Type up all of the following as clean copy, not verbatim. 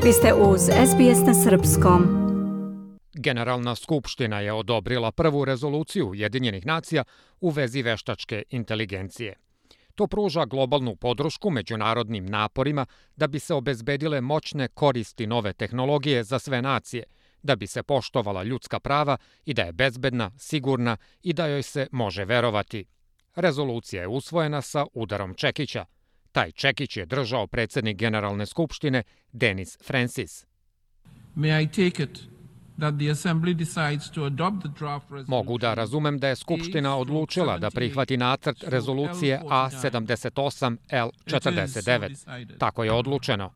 Vi ste uz SBS na srpskom. Generalna skupština je odobrila prvu rezoluciju Ujedinjenih nacija u vezi veštačke inteligencije. To pruža globalnu podršku međunarodnim naporima da bi se obezbedile moćne koristi nove tehnologije za sve nacije, da bi se poštovala ljudska prava i da je bezbedna, sigurna i da joj se može verovati. Rezolucija je usvojena sa udarom čekića. Taj čekić je držao predsednik Generalne skupštine Denis Francis. Mogu da razumem da je Skupština odlučila da prihvati nacrt rezolucije A78L49. Tako je odlučeno.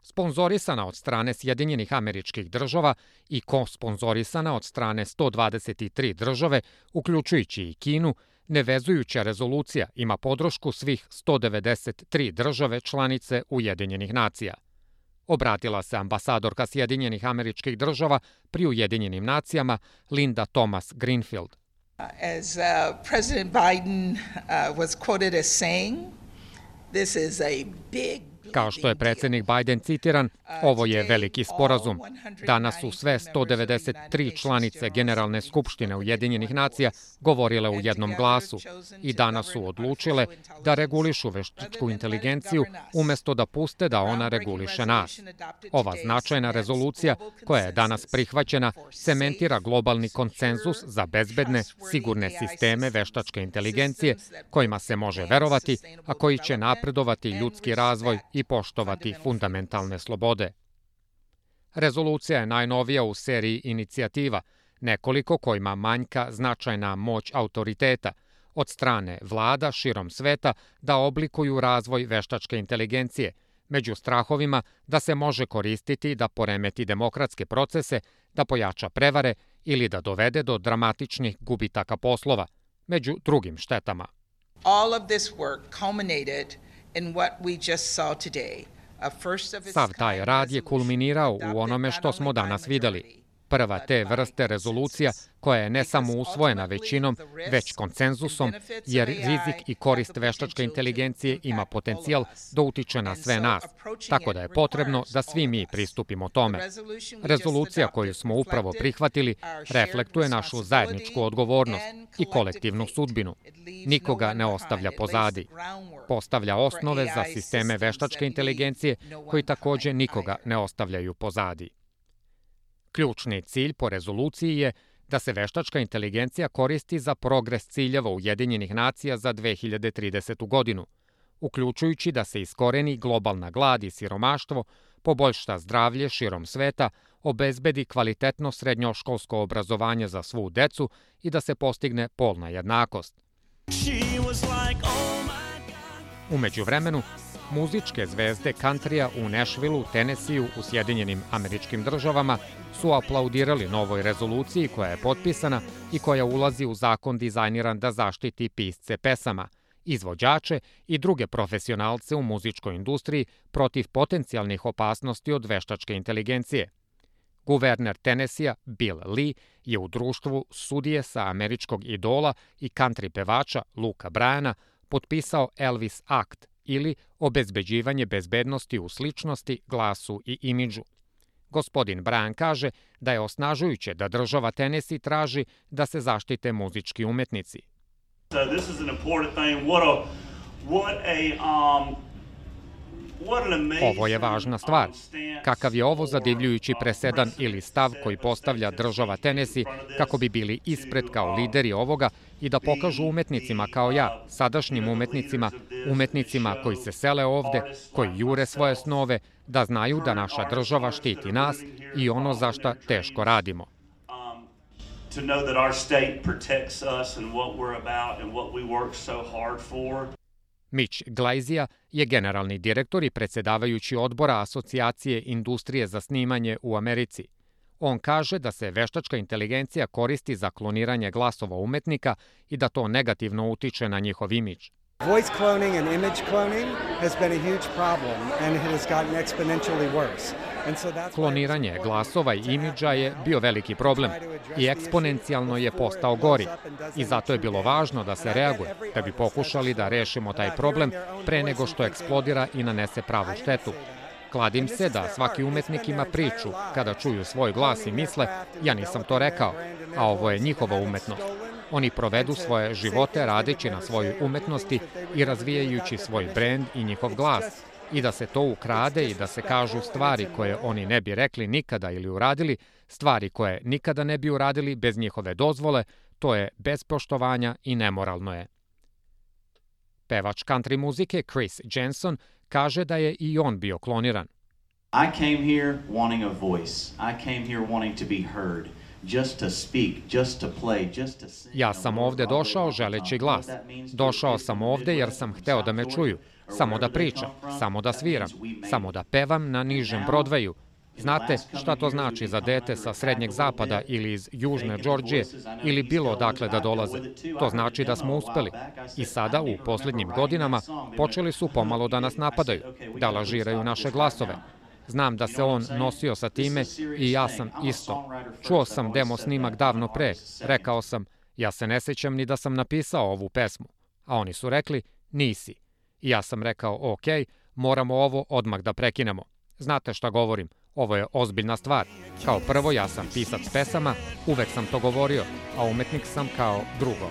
Sponzorisana od strane Sjedinjenih Američkih Država i kosponzorisana od strane 123 države, uključujući i Kinu, nevezujuća rezolucija ima podršku svih 193 države članice Ujedinjenih nacija. Obratila se ambasadorka Sjedinjenih Američkih Država pri Ujedinjenim nacijama Linda Thomas Greenfield. As President Biden was quoted as saying, this is a big Kao što je predsednik Biden citiran, ovo je veliki sporazum. Danas su sve 193 članice Generalne skupštine Ujedinjenih nacija govorile u jednom glasu i danas su odlučile da regulišu veštačku inteligenciju umesto da puste da ona reguliše nas. Ova značajna rezolucija koja je danas prihvaćena cementira globalni konsenzus za bezbedne, sigurne sisteme veštačke inteligencije kojima se može verovati, a koji će napredovati ljudski razvoj i poštovati fundamentalne slobode. Rezolucija je najnovija u seriji inicijativa, nekoliko kojima manjka značajna moć autoriteta od strane vlada širom sveta da oblikuju razvoj veštačke inteligencije, među strahovima da se može koristiti da poremeti demokratske procese, da pojača prevare ili da dovede do dramatičnih gubitaka poslova, među drugim štetama. All of this work culminated in what we just saw today. Sav taj rad je kulminirao u onome što smo danas videli. Prva te vrste rezolucija koja je ne samo usvojena većinom, već konsenzusom, jer rizik i korist veštačke inteligencije ima potencijal da utiče na sve nas, tako da je potrebno da svi mi pristupimo tome. Rezolucija koju smo upravo prihvatili reflektuje našu zajedničku odgovornost i kolektivnu sudbinu. Nikoga ne ostavlja pozadi. Postavlja osnove za sisteme veštačke inteligencije koji takođe nikoga ne ostavljaju pozadi. Ključni cilj po rezoluciji je da se veštačka inteligencija koristi za progres ciljeva Ujedinjenih nacija za 2030. godinu, uključujući da se iskoreni globalna glad i siromaštvo, poboljša zdravlje širom sveta, obezbedi kvalitetno srednjoškolsko obrazovanje za svu decu i da se postigne polna jednakost. U međuvremenu, muzičke zvezde kantrija u Nashvilleu, Tennesseeu u Sjedinjenim Američkim Državama su aplaudirali novoj rezoluciji koja je potpisana i koja ulazi u zakon dizajniran da zaštiti pisce pesama, izvođače i druge profesionalce u muzičkoj industriji protiv potencijalnih opasnosti od veštačke inteligencije. Guverner Tennesseea Bill Lee je u društvu sudije sa američkog idola i country pevača Luka Bryana potpisao Elvis Act, ili obezbeđivanje bezbednosti u sličnosti, glasu i imidžu. Gospodin Bryan kaže da je osnažujuće da država Tennessee traži da se zaštite muzički umetnici. Ovo je važna stvar. Kakav je ovo zadivljujući presedan ili stav koji postavlja država Tennessee kako bi bili ispred kao lideri ovoga i da pokažu umetnicima kao ja, sadašnjim umetnicima koji se sele ovde, koji jure svoje snove, da znaju da naša država štiti nas i ono za šta teško radimo. Mitch Glaizia je generalni direktor i predsedavajući odbora Asocijacije industrije za snimanje u Americi. On kaže da se veštačka inteligencija koristi za kloniranje glasova umetnika i da to negativno utiče na njihov imidž. Voice cloning and image cloning has been a huge problem and it has gotten exponentially worse. Kloniranje glasova i imidža je bio veliki problem i eksponencijalno je postao gori. I zato je bilo važno da se reaguje, da bi pokušali da rešimo taj problem pre nego što eksplodira i nanese pravu štetu. Kladim se da svaki umetnik ima priču kada čuju svoj glas i misle, ja nisam to rekao, a ovo je njihova umetnost. Oni provedu svoje živote radeći na svojoj umetnosti i razvijajući svoj brend i njihov glas. I da se to ukrade i da se kažu stvari koje oni ne bi rekli nikada ili uradili, stvari koje nikada ne bi uradili bez njihove dozvole, to je bez poštovanja i nemoralno je. Pevač country muzike Chris Jensen kaže da je i on bio kloniran. I came here wanting a voice. I came here wanting to be heard. Just to speak, just to play, just to sing. Ja sam ovde došao želeći glas. Došao sam ovde jer sam hteo da me čuju. Samo da pričam, samo da sviram, samo da pevam na nižem Broadwayu. Znate šta to znači za dete sa srednjeg zapada ili iz južne Džordžije ili bilo odakle da dolaze? To znači da smo uspeli. I sada, u posljednjim godinama, počeli su pomalo da nas napadaju, da lažiraju naše glasove. Znam da se on nosio sa time i ja sam isto. Čuo sam demo snimak davno pre. Rekao sam, ja se ne sjećam ni da sam napisao ovu pesmu. A oni su rekli, nisi. I ja sam rekao, ok, moramo ovo odmah da prekinemo. Znate šta govorim? Ovo je ozbiljna stvar. Kao prvo, ja sam pisac pesama, uvek sam to govorio, a umetnik sam kao drugo.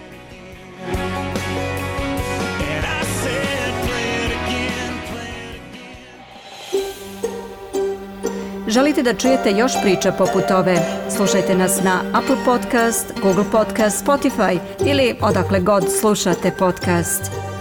Želite da čujete još priča poput ove? Slušajte nas na Apple Podcast, Google Podcast, Spotify ili odakle god slušate podcast.